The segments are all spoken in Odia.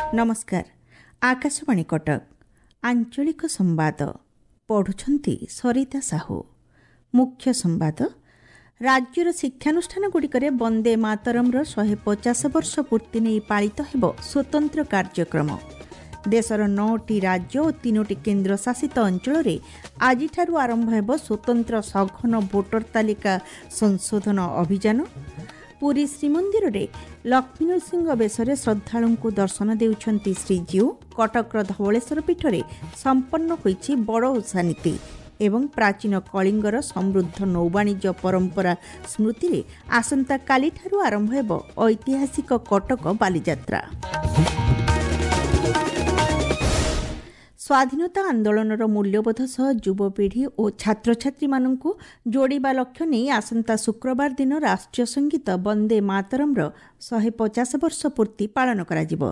ନମସ୍କାର, ଆକାଶବାଣୀ କଟକ। ଆଞ୍ଚଳିକ ସମ୍ବାଦ ପଢ଼ୁଛନ୍ତି ସରିତା ସାହୁ। ମୁଖ୍ୟ ସମ୍ବାଦ। ରାଜ୍ୟର ଶିକ୍ଷାନୁଷ୍ଠାନଗୁଡ଼ିକରେ ବନ୍ଦେ ମାତରମ୍ର 150 ବର୍ଷ ପୂର୍ତ୍ତି ନେଇ ପାଳିତ ହେବ ସ୍ୱତନ୍ତ୍ର କାର୍ଯ୍ୟକ୍ରମ। ଦେଶର 9ଟି ରାଜ୍ୟ ଓ 3ଟି କେନ୍ଦ୍ରଶାସିତ ଅଞ୍ଚଳରେ ଆଜିଠାରୁ ଆରମ୍ଭ ହେବ ସ୍ୱତନ୍ତ୍ର ସଘନ ଭୋଟର ତାଲିକା ସଂଶୋଧନ ଅଭିଯାନ। ପୁରୀ ଶ୍ରୀମନ୍ଦିରରେ ଲକ୍ଷ୍ମୀନୃସିଂହ ବେଶରେ ଶ୍ରଦ୍ଧାଳୁଙ୍କୁ ଦର୍ଶନ ଦେଉଛନ୍ତି ଶ୍ରୀଜୀଉ। କଟକର ଧବଳେଶ୍ୱର ପୀଠରେ ସମ୍ପନ୍ନ ହୋଇଛି ବଡ଼ ଓଷା ନୀତି ଏବଂ ପ୍ରାଚୀନ କଳିଙ୍ଗର ସମୃଦ୍ଧ ନୌବାଣିଜ୍ୟ ପରମ୍ପରା ସ୍ମୃତିରେ ଆସନ୍ତାକାଲିଠାରୁ ଆରମ୍ଭ ହେବ ଐତିହାସିକ କଟକ ବାଲିଯାତ୍ରା। ସ୍ୱାଧୀନତା ଆନ୍ଦୋଳନର ମୂଲ୍ୟବୋଧ ସହ ଯୁବପିଢ଼ି ଓ ଛାତ୍ରଛାତ୍ରୀମାନଙ୍କୁ ଯୋଡ଼ିବା ଲକ୍ଷ୍ୟ ନେଇ ଆସନ୍ତା ଶୁକ୍ରବାର ଦିନ ରାଷ୍ଟ୍ରୀୟ ସଙ୍ଗୀତ ବନ୍ଦେ ମାତରମ୍ର 150 ବର୍ଷ ପୂର୍ତ୍ତି ପାଳନ କରାଯିବ।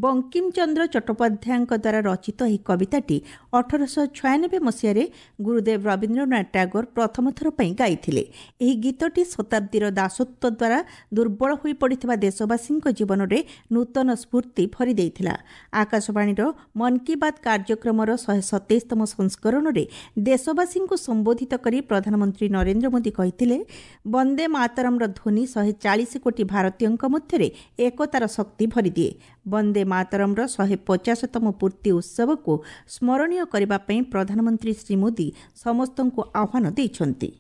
ବଙ୍କିମଚନ୍ଦ୍ର ଚଟ୍ଟୋପାଧ୍ୟାୟଙ୍କ ଦ୍ୱାରା ରଚିତ ଏହି କବିତାଟି 1896 ମସିହାରେ ଗୁରୁଦେବ ରବୀନ୍ଦ୍ରନାଥ ଟାଗୋର ପ୍ରଥମ ଥର ପାଇଁ ଗାଇଥିଲେ। ଏହି ଗୀତଟି ଶତାବ୍ଦୀର ଦାସତ୍ୱ ଦ୍ୱାରା ଦୁର୍ବଳ ହୋଇପଡ଼ିଥିବା ଦେଶବାସୀଙ୍କ ଜୀବନରେ ନୂତନ ସ୍ଫୂର୍ତ୍ତି ଭରି ଦେଇଥିଲା। ଆକାଶବାଣୀର ମନ୍ କି ବାତ୍ କାର୍ଯ୍ୟକ୍ରମର 127ତମ ସଂସ୍କରଣରେ ଦେଶବାସୀଙ୍କୁ ସମ୍ବୋଧିତ କରି ପ୍ରଧାନମନ୍ତ୍ରୀ ନରେନ୍ଦ୍ର ମୋଦି କହିଥିଲେ, ବନ୍ଦେ ମାତରମ୍ର ଧ୍ୱନି 140 କୋଟି ଭାରତୀୟଙ୍କ ମଧ୍ୟରେ ଏକତାର ଶକ୍ତି ଭରିଦିଏ। ବନ୍ଦେ ମାତରମ୍ର 150ତମ ପୂର୍ତ୍ତି ଉତ୍ସବକୁ ସ୍ମରଣୀୟ କରିବା ପାଇଁ ପ୍ରଧାନମନ୍ତ୍ରୀ ଶ୍ରୀ ମୋଦି ସମସ୍ତଙ୍କୁ ଆହ୍ୱାନ ଦେଇଛନ୍ତି।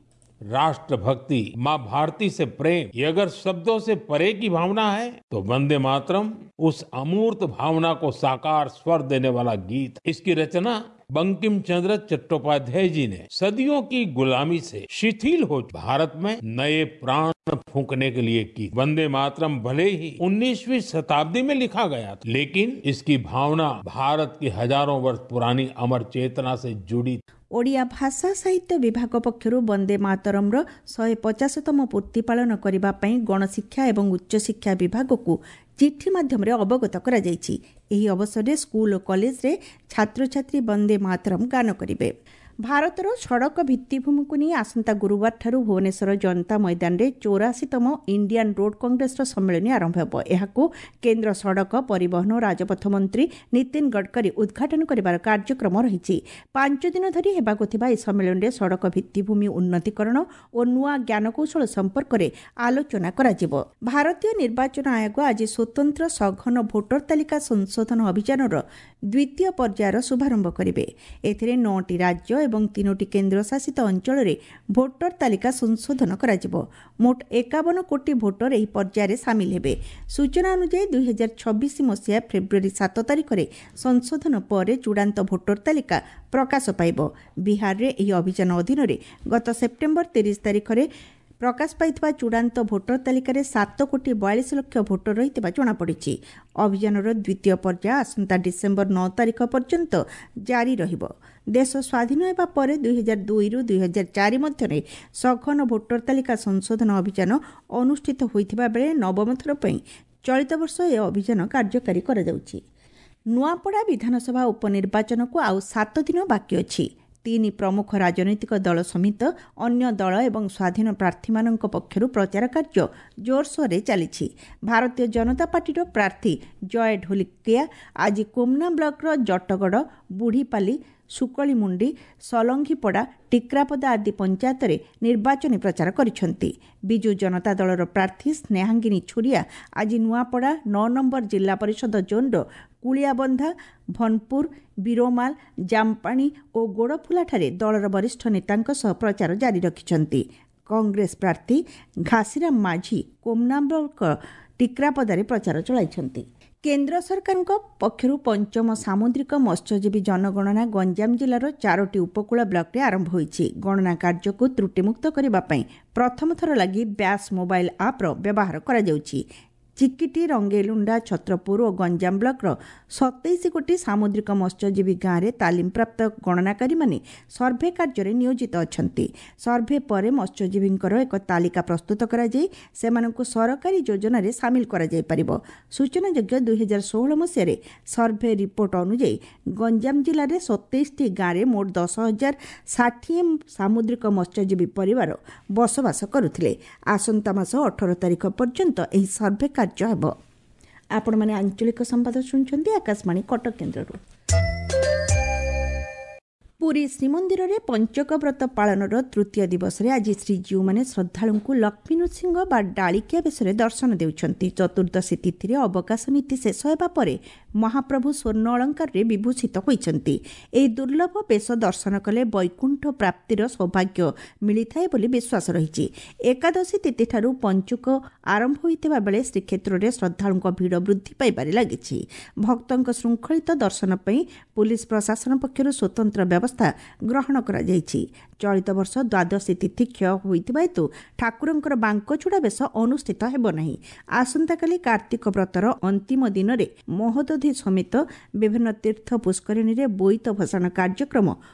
राष्ट्रभक्ति, माँ भारती से प्रेम, ये अगर शब्दों से परे की भावना है तो वंदे मातरम उस अमूर्त भावना को साकार स्वर देने वाला गीत। इसकी रचना बंकिम चंद्र चट्टोपाध्याय जी ने सदियों की गुलामी से शिथिल हो भारत में नए प्राण फूंकने के लिए की। वंदे मातरम भले ही 19वीं शताब्दी में लिखा गया था, लेकिन इसकी भावना भारत की हजारों वर्ष पुरानी अमर चेतना से जुड़ी। ଓଡ଼ିଆ ଭାଷା ସାହିତ୍ୟ ବିଭାଗ ପକ୍ଷରୁ ବନ୍ଦେ ମାତରମ୍ର 150ତମ ପୂର୍ତ୍ତି ପାଳନ କରିବା ପାଇଁ ଗଣଶିକ୍ଷା ଏବଂ ଉଚ୍ଚଶିକ୍ଷା ବିଭାଗକୁ ଚିଠି ମାଧ୍ୟମରେ ଅବଗତ କରାଯାଇଛି। ଏହି ଅବସରରେ ସ୍କୁଲ ଓ କଲେଜରେ ଛାତ୍ରଛାତ୍ରୀ ବନ୍ଦେ ମାତରମ୍ ଗାନ କରିବେ। ଭାରତର ସଡ଼କ ଭିତ୍ତିଭୂମିକୁ ନେଇ ଆସନ୍ତା ଗୁରୁବାରଠାରୁ ଭୁବନେଶ୍ୱର ଜନତା ମଇଦାନରେ 84ତମ ଇଣ୍ଡିଆନ୍ ରୋଡ୍ କଂଗ୍ରେସର ସମ୍ମିଳନୀ ଆରମ୍ଭ ହେବ। ଏହାକୁ କେନ୍ଦ୍ର ସଡ଼କ ପରିବହନ ଓ ରାଜପଥ ମନ୍ତ୍ରୀ ନୀତିନ ଗଡ଼କରୀ ଉଦ୍ଘାଟନ କରିବାର କାର୍ଯ୍ୟକ୍ରମ ରହିଛି। 5 ଦିନ ଧରି ହେବାକୁ ଥିବା ଏହି ସମ୍ମିଳନୀରେ ସଡ଼କ ଭିତ୍ତିଭୂମି ଉନ୍ନତିକରଣ ଓ ନୂଆ ଜ୍ଞାନକୌଶଳ ସମ୍ପର୍କରେ ଆଲୋଚନା କରାଯିବ। ଭାରତୀୟ ନିର୍ବାଚନ ଆୟୋଗ ଆଜି ସ୍ୱତନ୍ତ୍ର ସଘନ ଭୋଟର ତାଲିକା ସଂଶୋଧନ ଅଭିଯାନର ଦ୍ୱିତୀୟ ପର୍ଯ୍ୟାୟର ଶୁଭାରମ୍ଭ କରିବେ। ଏଥିରେ 9ଟି ରାଜ୍ୟ ଏବଂ 3ଟି କେନ୍ଦ୍ରଶାସିତ ଅଞ୍ଚଳରେ ଭୋଟର ତାଲିକା ସଂଶୋଧନ କରାଯିବ। ମୋଟ 51 କୋଟି ଭୋଟର ଏହି ପର୍ଯ୍ୟାୟରେ ସାମିଲ ହେବେ। ସୂଚନା ଅନୁଯାୟୀ 2026 ମସିହା ଫେବୃଆରୀ 7 ତାରିଖରେ ସଂଶୋଧନ ପରେ ଚୂଡ଼ାନ୍ତ ଭୋଟର ତାଲିକା ପ୍ରକାଶ ପାଇବ। ବିହାରରେ ଏହି ଅଭିଯାନ ଅଧୀନରେ ଗତ ସେପ୍ଟେମ୍ବର 30 ତାରିଖରେ ପ୍ରକାଶ ପାଇଥିବା ଚୂଡ଼ାନ୍ତ ଭୋଟର ତାଲିକାରେ 7 କୋଟି 42 ଲକ୍ଷ ଭୋଟର ରହିଥିବା ଜଣାପଡ଼ିଛି। ଅଭିଯାନର ଦ୍ୱିତୀୟ ପର୍ଯ୍ୟାୟ ଆସନ୍ତା ଡିସେମ୍ବର 9 ତାରିଖ ପର୍ଯ୍ୟନ୍ତ ଜାରି ରହିବ। ଦେଶ ସ୍ୱାଧୀନ ହେବା ପରେ 2002ରୁ 2004 ମଧ୍ୟରେ ସଘନ ଭୋଟର ତାଲିକା ସଂଶୋଧନ ଅଭିଯାନ ଅନୁଷ୍ଠିତ ହୋଇଥିବା ବେଳେ ନବମ ଥର ପାଇଁ ଚଳିତ ବର୍ଷ ଏ ଅଭିଯାନ କାର୍ଯ୍ୟକାରୀ କରାଯାଉଛି। ନୂଆପଡ଼ା ବିଧାନସଭା ଉପନିର୍ବାଚନକୁ ଆଉ 7 ଦିନ ବାକି ଅଛି। 3 ପ୍ରମୁଖ ରାଜନୈତିକ ଦଳ ସମେତ ଅନ୍ୟ ଦଳ ଏବଂ ସ୍ୱାଧୀନ ପ୍ରାର୍ଥୀମାନଙ୍କ ପକ୍ଷରୁ ପ୍ରଚାର କାର୍ଯ୍ୟ ଜୋରସୋରରେ ଚାଲିଛି। ଭାରତୀୟ ଜନତା ପାର୍ଟିର ପ୍ରାର୍ଥୀ ଜୟ ଢୋଲିକିଆ ଆଜି କୋମନା ବ୍ଲକର ଜଟଗଡ଼, ବୁଢ଼ୀପାଲି, ସୁକଳିମୁଣ୍ଡି, ସଲଙ୍ଘିପଡ଼ା, ଟିକ୍ରାପଦା ଆଦି ପଞ୍ଚାୟତରେ ନିର୍ବାଚନୀ ପ୍ରଚାର କରିଛନ୍ତି। ବିଜୁ ଜନତା ଦଳର ପ୍ରାର୍ଥୀ ସ୍ନେହାଙ୍ଗିନୀ ଛୁରିଆ ଆଜି ନୂଆପଡ଼ା 9 ନମ୍ବର ଜିଲ୍ଲା ପରିଷଦ ଜୋନ୍ର କୁଳିଆବନ୍ଧା, ଭନପୁର, ବିରୋମାଲ, ଜାମପାଣି ଓ ଗୋଡ଼ଫୁଲାଠାରେ ଦଳର ବରିଷ୍ଠ ନେତାଙ୍କ ସହ ପ୍ରଚାର ଜାରି ରଖିଛନ୍ତି। କଂଗ୍ରେସ ପ୍ରାର୍ଥୀ ଘାସିରାମ ମାଝୀ କୋମନା ବ୍ଲକ ଟିକ୍ରାପଦାରେ ପ୍ରଚାର ଚଳାଇଛନ୍ତି। କେନ୍ଦ୍ର ସରକାରଙ୍କ ପକ୍ଷରୁ ପଞ୍ଚମ ସାମୁଦ୍ରିକ ମତ୍ସ୍ୟଜୀବୀ ଜନଗଣନା ଗଞ୍ଜାମ ଜିଲ୍ଲାର 4ଟି ଉପକୂଳ ବ୍ଲକରେ ଆରମ୍ଭ ହୋଇଛି। ଗଣନା କାର୍ଯ୍ୟକୁ ତ୍ରୁଟିମୁକ୍ତ କରିବା ପାଇଁ ପ୍ରଥମ ଥର ଲାଗି ବ୍ୟାସ୍ ମୋବାଇଲ ଆପ୍ର ବ୍ୟବହାର କରାଯାଉଛି। ଚିକିଟି, ରଙ୍ଗେଇଲୁଣ୍ଡା, ଛତ୍ରପୁର ଓ ଗଞ୍ଜାମ ବ୍ଲକର 27 ଗୋଟି ସାମୁଦ୍ରିକ ମତ୍ସ୍ୟଜୀବୀ ଗାଁରେ ତାଲିମପ୍ରାପ୍ତ ଗଣନାକାରୀମାନେ ସର୍ଭେ କାର୍ଯ୍ୟରେ ନିୟୋଜିତ ଅଛନ୍ତି। ସର୍ଭେ ପରେ ମତ୍ସ୍ୟଜୀବୀଙ୍କର ଏକ ତାଲିକା ପ୍ରସ୍ତୁତ କରାଯାଇ ସେମାନଙ୍କୁ ସରକାରୀ ଯୋଜନାରେ ସାମିଲ କରାଯାଇପାରିବ। ସୂଚନାଯୋଗ୍ୟ, 2016 ମସିହାରେ ସର୍ଭେ ରିପୋର୍ଟ ଅନୁଯାୟୀ ଗଞ୍ଜାମ ଜିଲ୍ଲାରେ 27ଟି ଗାଁରେ ମୋଟ 10,060 ସାମୁଦ୍ରିକ ମତ୍ସ୍ୟଜୀବୀ ପରିବାର ବସବାସ କରୁଥିଲେ। ଆସନ୍ତା ମାସ 18 ତାରିଖ ପର୍ଯ୍ୟନ୍ତ ଏହି ସର୍ଭେ କାର୍ଯ୍ୟ ହେବ। ଆପଣମାନେ ଆଞ୍ଚଳିକ ସମ୍ବାଦ ଶୁଣୁଛନ୍ତି ଆକାଶବାଣୀ କଟକ କେନ୍ଦ୍ରରୁ। ପୁରୀ ଶ୍ରୀମନ୍ଦିରରେ ପଞ୍ଚକ ବ୍ରତ ପାଳନର ତୃତୀୟ ଦିବସରେ ଆଜି ଶ୍ରୀଜୀଉମାନେ ଶ୍ରଦ୍ଧାଳୁଙ୍କୁ ଲକ୍ଷ୍ମୀ ନୃସିଂହ ବା ଡାଳିକିଆ ବେଶରେ ଦର୍ଶନ ଦେଉଛନ୍ତି। ଚତୁର୍ଦ୍ଦଶୀ ତିଥିରେ ଅବକାଶ ନୀତି ଶେଷ ହେବା ପରେ ମହାପ୍ରଭୁ ସ୍ୱର୍ଣ୍ଣ ଅଳଙ୍କାରରେ ବିଭୂଷିତ ହୋଇଛନ୍ତି। ଏହି ଦୁର୍ଲଭ ବେଶ ଦର୍ଶନ କଲେ ବୈକୁଣ୍ଠ ପ୍ରାପ୍ତିର ସୌଭାଗ୍ୟ ମିଳିଥାଏ ବୋଲି ବିଶ୍ୱାସ ରହିଛି। ଏକାଦଶୀ ତିଥିଠାରୁ ପଞ୍ଚୁକ ଆରମ୍ଭ ହୋଇଥିବା ବେଳେ ଶ୍ରୀକ୍ଷେତ୍ରରେ ଶ୍ରଦ୍ଧାଳୁଙ୍କ ଭିଡ଼ ବୃଦ୍ଧି ପାଇବାରେ ଲାଗିଛି। ଭକ୍ତଙ୍କ ଶୃଙ୍ଖଳିତ ଦର୍ଶନ ପାଇଁ ପୁଲିସ ପ୍ରଶାସନ ପକ୍ଷରୁ ସ୍ୱତନ୍ତ୍ର ବ୍ୟବସ୍ଥା ଗ୍ରହଣ କରାଯାଇଛି। ଚଳିତ ବର୍ଷ ଦ୍ୱାଦଶୀ ତିଥି କ୍ଷୟ ହୋଇଥିବା ହେତୁ ଠାକୁରଙ୍କର ବାଙ୍କଚୂଡ଼ା ବେଶ ଅନୁଷ୍ଠିତ ହେବ ନାହିଁ। ଆସନ୍ତାକାଲି କାର୍ତ୍ତିକ ବ୍ରତର ଅନ୍ତିମ ଦିନରେ ମହୋଦଧି ସମେତ ବିଭିନ୍ନ ତୀର୍ଥ ପୁଷ୍କରିଣୀରେ ବୋଇତ ଭସାଣ କାର୍ଯ୍ୟକ୍ରମ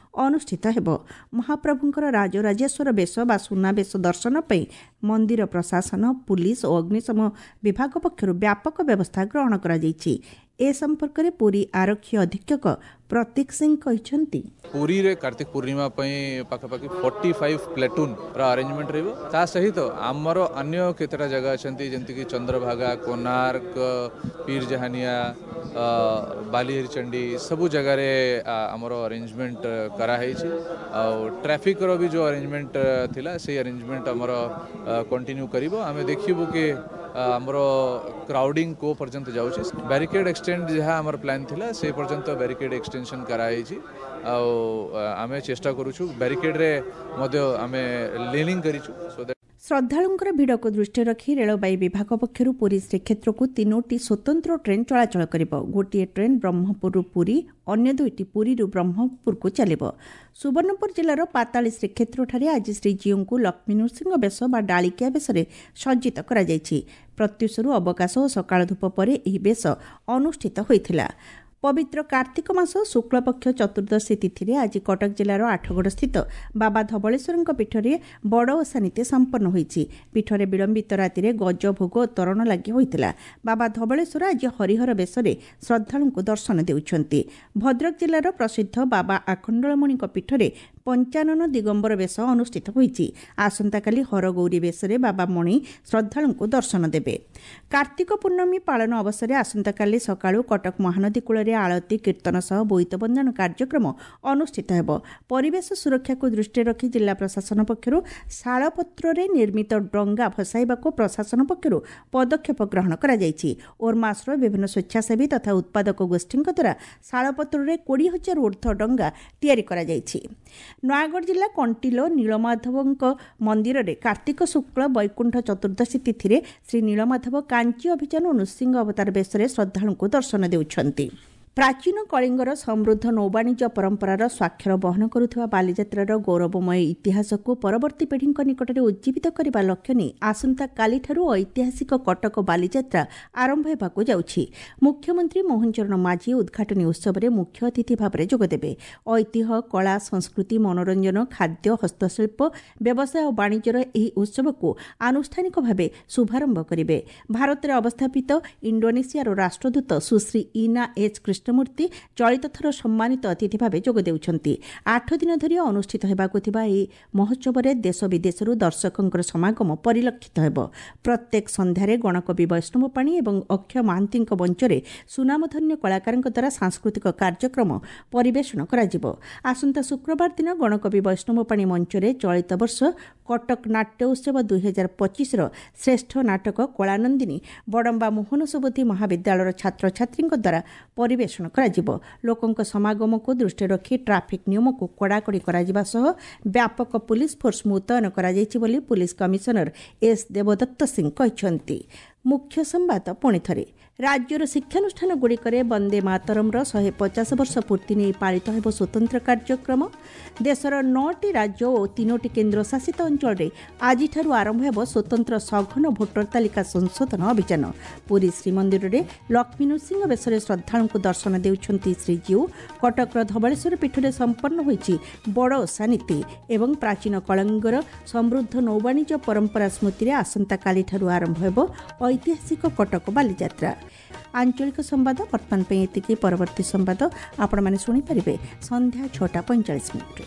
ଅନୁଷ୍ଠିତ ହେବ। ମହାପ୍ରଭୁଙ୍କର ରାଜରାଜେଶ୍ୱର ବେଶ ବା ସୁନାବେଶ ଦର୍ଶନ ପାଇଁ ମନ୍ଦିର ପ୍ରଶାସନ, ପୁଲିସ ଓ ଅଗ୍ନିଶମ ବିଭାଗ ପକ୍ଷରୁ ବ୍ୟାପକ ବ୍ୟବସ୍ଥା ଗ୍ରହଣ କରାଯାଇଛି। ଏ ସମ୍ପର୍କରେ ପୁରୀ ଆରକ୍ଷୀ ଅଧୀକ୍ଷକ ପ୍ରତୀକ ସିଂ କହିଛନ୍ତି, ପୁରୀରେ କାର୍ତ୍ତିକ ପୂର୍ଣ୍ଣିମା ପାଇଁ ପାଖାପାଖି 45 ପ୍ଲାଟୁନ୍ର ଆରେଞ୍ଜମେଣ୍ଟ ରହିବ। ତା ସହିତ ଆମର ଅନ୍ୟ କେତେଟା ଜାଗା ଅଛନ୍ତି, ଯେମିତିକି ଚନ୍ଦ୍ରଭାଗା, କୋଣାର୍କ, ପୀରଜାହାନିଆ, ବାଲିହରିଚଣ୍ଡୀ, ସବୁ ଜାଗାରେ ଆମର ଆରେଞ୍ଜମେଣ୍ଟ କରାହେଇଛି। ଆଉ ଟ୍ରାଫିକ୍ର ବି ଯେଉଁ ଆରେଞ୍ଜମେଣ୍ଟ ଥିଲା, ସେଇ ଆରେଞ୍ଜମେଣ୍ଟ ଆମର କଣ୍ଟିନ୍ୟୁ କରିବ। ଆମେ ଦେଖିବୁ କି ଆମର କ୍ରାଉଡ଼ିଂ କେଉଁ ପର୍ଯ୍ୟନ୍ତ ଯାଉଛି। ବ୍ୟାରିକେଡ୍ ଏକ୍ସଟେଣ୍ଡ ଯାହା ଆମର ପ୍ଲାନ୍ ଥିଲା, ସେ ପର୍ଯ୍ୟନ୍ତ ବ୍ୟାରିକେଡ୍ ଏକ୍ସଟେନସନ୍ କରାହେଇଛି। ଆଉ ଆମେ ଚେଷ୍ଟା କରୁଛୁ, ବ୍ୟାରିକେଡ୍ରେ ମଧ୍ୟ ଆମେ ଲିନିଂ କରିଛୁ। ଶ୍ରଦ୍ଧାଳୁଙ୍କର ଭିଡ଼କୁ ଦୃଷ୍ଟିରେ ରଖି ରେଳବାଇ ବିଭାଗ ପକ୍ଷରୁ ପୁରୀ ଶ୍ରୀକ୍ଷେତ୍ରକୁ 3ଟି ସ୍ୱତନ୍ତ୍ର ଟ୍ରେନ୍ ଚଳାଚଳ କରିବ। ଗୋଟିଏ ଟ୍ରେନ୍ ବ୍ରହ୍ମପୁରରୁ ପୁରୀ, ଅନ୍ୟ 2ଟି ପୁରୀରୁ ବ୍ରହ୍ମପୁରକୁ ଚାଲିବ। ସୁବର୍ଣ୍ଣପୁର ଜିଲ୍ଲାର ପାତାଳୀ ଶ୍ରୀକ୍ଷେତ୍ରଠାରେ ଆଜି ଶ୍ରୀଜୀଉଙ୍କୁ ଲକ୍ଷ୍ମୀ ନୃସିଂହ ବେଶ ବା ଡାଳିକିଆ ବେଶରେ ସଜ୍ଜିତ କରାଯାଇଛି। ପ୍ରତ୍ୟୁଷରୁ ଅବକାଶ ଓ ସକାଳ ଧୂପ ପରେ ଏହି ବେଶ ଅନୁଷ୍ଠିତ ହୋଇଥିଲା। ପବିତ୍ର କାର୍ତ୍ତିକ ମାସ ଶୁକ୍ଳପକ୍ଷ ଚତୁର୍ଦ୍ଦଶୀ ତିଥିରେ ଆଜି କଟକ ଜିଲ୍ଲାର ଆଠଗଡ଼ସ୍ଥିତ ବାବା ଧବଳେଶ୍ୱରଙ୍କ ପୀଠରେ ବଡ଼ ଓଷା ନୀତି ସମ୍ପନ୍ନ ହୋଇଛି। ପୀଠରେ ବିଳମ୍ବିତ ରାତିରେ ଗଜ ଭୋଗ ଓ ତରଣ ଲାଗି ହୋଇଥିଲା। ବାବା ଧବଳେଶ୍ୱର ଆଜି ହରିହର ବେଶରେ ଶ୍ରଦ୍ଧାଳୁଙ୍କୁ ଦର୍ଶନ ଦେଉଛନ୍ତି। ଭଦ୍ରକ ଜିଲ୍ଲାର ପ୍ରସିଦ୍ଧ ବାବା ଆଖଣ୍ଡଳମଣିଙ୍କ ପୀଠରେ ପଞ୍ଚାନନ ଦିଗମ୍ବର ବେଶ ଅନୁଷ୍ଠିତ ହୋଇଛି। ଆସନ୍ତାକାଲି ହରଗୌରୀ ବେଶରେ ବାବା ମଣି ଶ୍ରଦ୍ଧାଳୁଙ୍କୁ ଦର୍ଶନ ଦେବେ। କାର୍ତ୍ତିକ ପୂର୍ଣ୍ଣମୀ ପାଳନ ଅବସରରେ ଆସନ୍ତାକାଲି ସକାଳୁ କଟକ ମହାନଦୀ କୂଳରେ ଆଳତୀ, କୀର୍ତ୍ତନ ସହ ବୋଇତ ବନ୍ଦାଣ କାର୍ଯ୍ୟକ୍ରମ ଅନୁଷ୍ଠିତ ହେବ। ପରିବେଶ ସୁରକ୍ଷାକୁ ଦୃଷ୍ଟିରେ ରଖି ଜିଲ୍ଲା ପ୍ରଶାସନ ପକ୍ଷରୁ ଶାଳପତ୍ରରେ ନିର୍ମିତ ଡଙ୍ଗା ଭସାଇବାକୁ ପ୍ରଶାସନ ପକ୍ଷରୁ ପଦକ୍ଷେପ ଗ୍ରହଣ କରାଯାଇଛି। ଓର୍ମାସର ବିଭିନ୍ନ ସ୍ୱେଚ୍ଛାସେବୀ ତଥା ଉତ୍ପାଦକ ଗୋଷ୍ଠୀଙ୍କ ଦ୍ୱାରା ଶାଳପତ୍ରରେ 20,000 ଉର୍ଦ୍ଧ୍ୱ ଡଙ୍ଗା ତିଆରି କରାଯାଇଛି। ନୟାଗଡ଼ ଜିଲ୍ଲା କଣ୍ଟିଲୋ ନୀଳମାଧବଙ୍କ ମନ୍ଦିରରେ କାର୍ତ୍ତିକ ଶୁକ୍ଳ ବୈକୁଣ୍ଠ ଚତୁର୍ଦ୍ଦଶୀ ତିଥିରେ ଶ୍ରୀ ନୀଳମାଧବ କାଞ୍ଚି ଅଭିଯାନ ଓ ନୃସିଂହ ଅବତାର ବେଶରେ ଶ୍ରଦ୍ଧାଳୁଙ୍କୁ ଦର୍ଶନ ଦେଉଛନ୍ତି। ପ୍ରାଚୀନ କଳିଙ୍ଗର ସମୃଦ୍ଧ ନୌବାଣିଜ୍ୟ ପରମ୍ପରାର ସ୍ୱାକ୍ଷର ବହନ କରୁଥିବା ବାଲିଯାତ୍ରାର ଗୌରବମୟ ଇତିହାସକୁ ପରବର୍ତ୍ତୀ ପିଢ଼ିଙ୍କ ନିକଟରେ ଉଜ୍ଜୀବିତ କରିବା ଲକ୍ଷ୍ୟ ନେଇ ଆସନ୍ତାକାଲିଠାରୁ ଐତିହାସିକ କଟକ ବାଲିଯାତ୍ରା ଆରମ୍ଭ ହେବାକୁ ଯାଉଛି। ମୁଖ୍ୟମନ୍ତ୍ରୀ ମୋହନ ଚରଣ ମାଝୀ ଉଦ୍ଘାଟନୀ ଉତ୍ସବରେ ମୁଖ୍ୟ ଅତିଥି ଭାବରେ ଯୋଗଦେବେ। ଐତିହ୍ୟ, କଳା, ସଂସ୍କୃତି, ମନୋରଞ୍ଜନ, ଖାଦ୍ୟ, ହସ୍ତଶିଳ୍ପ, ବ୍ୟବସାୟ ଓ ବାଣିଜ୍ୟର ଏହି ଉତ୍ସବକୁ ଆନୁଷ୍ଠାନିକ ଭାବେ ଶୁଭାରମ୍ଭ କରିବେ। ଭାରତରେ ଅବସ୍ଥାପିତ ଇଣ୍ଡୋନେସିଆର ରାଷ୍ଟ୍ରଦୂତ ସୁଶ୍ରୀ ଇନା ଏଚ୍ କୃଷ୍ଣମୂର୍ତ୍ତି ଚଳିତ ଥର ସମ୍ମାନିତ ଅତିଥି ଭାବେ ଯୋଗ ଦେଉଛନ୍ତି। 8 ଦିନ ଧରି ଅନୁଷ୍ଠିତ ହେବାକୁ ଥିବା ଏହି ମହୋତ୍ସବରେ ଦେଶ ବିଦେଶରୁ ଦର୍ଶକଙ୍କର ସମାଗମ ପରିଲକ୍ଷିତ ହେବ। ପ୍ରତ୍ୟେକ ସନ୍ଧ୍ୟାରେ ଗଣକବି ବୈଷ୍ଣବ ପାଣି ଏବଂ ଅକ୍ଷୟ ମହାନ୍ତିଙ୍କ ମଞ୍ଚରେ ସୁନାମଧନ୍ୟ କଳାକାରଙ୍କ ଦ୍ୱାରା ସାଂସ୍କୃତିକ କାର୍ଯ୍ୟକ୍ରମ ପରିବେଷଣ କରାଯିବ। ଆସନ୍ତା ଶୁକ୍ରବାର ଦିନ ଗଣକବି ବୈଷ୍ଣବ ପାଣି ମଞ୍ଚରେ ଚଳିତ ବର୍ଷ କଟକ ନାଟ୍ୟ ଉତ୍ସବ 2025ର ଶ୍ରେଷ୍ଠ ନାଟକ କଳାନନ୍ଦିନୀ ବଡ଼ମ୍ବା ମୋହନ ସୁବୁଦ୍ଧି ମହାବିଦ୍ୟାଳୟର ଛାତ୍ରଛାତ୍ରୀଙ୍କ ଦ୍ୱାରା ପରିବେଷଣ କରାଯିବ। ଲୋକଙ୍କ ସମାଗମକୁ ଦୃଷ୍ଟିରେ ରଖି ଟ୍ରାଫିକ୍ ନିୟମକୁ କଡ଼ାକଡ଼ି କରାଯିବା ସହ ବ୍ୟାପକ ପୁଲିସ ଫୋର୍ସ ମୁତୟନ କରାଯାଇଛି ବୋଲି ପୁଲିସ କମିଶନର ଏସ୍ ଦେବଦତ୍ତ ସିଂ କହିଛନ୍ତି। ମୁଖ୍ୟ ସମ୍ବାଦ ପୁଣି ଥରେ। ରାଜ୍ୟର ଶିକ୍ଷାନୁଷ୍ଠାନଗୁଡ଼ିକରେ ବନ୍ଦେ ମାତରମ୍ର 150 ବର୍ଷ ପୂର୍ତ୍ତି ନେଇ ପାଳିତ ହେବ ସ୍ୱତନ୍ତ୍ର କାର୍ଯ୍ୟକ୍ରମ। ଦେଶର 9ଟି ରାଜ୍ୟ ଓ 3ଟି କେନ୍ଦ୍ରଶାସିତ ଅଞ୍ଚଳରେ ଆଜିଠାରୁ ଆରମ୍ଭ ହେବ ସ୍ୱତନ୍ତ୍ର ସଘନ ଭୋଟର ତାଲିକା ସଂଶୋଧନ ଅଭିଯାନ। ପୁରୀ ଶ୍ରୀମନ୍ଦିରରେ ଲକ୍ଷ୍ମୀ ନୃସିଂହ ବେଶରେ ଶ୍ରଦ୍ଧାଳୁଙ୍କୁ ଦର୍ଶନ ଦେଉଛନ୍ତି ଶ୍ରୀଜୀଉ। କଟକର ଧବଳେଶ୍ୱର ପୀଠରେ ସମ୍ପନ୍ନ ହୋଇଛି ବଡ଼ ଓଷା ନୀତି ଏବଂ ପ୍ରାଚୀନ କଳିଙ୍ଗର ସମୃଦ୍ଧ ନୌବାଣିଜ୍ୟ ପରମ୍ପରା ସ୍ମୃତିରେ ଆସନ୍ତାକାଲିଠାରୁ ଆରମ୍ଭ ହେବ ଐତିହାସିକ କଟକ ବାଲିଯାତ୍ରା। ଆଞ୍ଚଳିକ ସମ୍ବାଦ ବର୍ତ୍ତମାନ ପାଇଁ ଏତିକି। ପରବର୍ତ୍ତୀ ସମ୍ବାଦ ଆପଣମାନେ ଶୁଣିପାରିବେ ସନ୍ଧ୍ୟା 6ଟା 45 ମିନିଟ୍ରେ।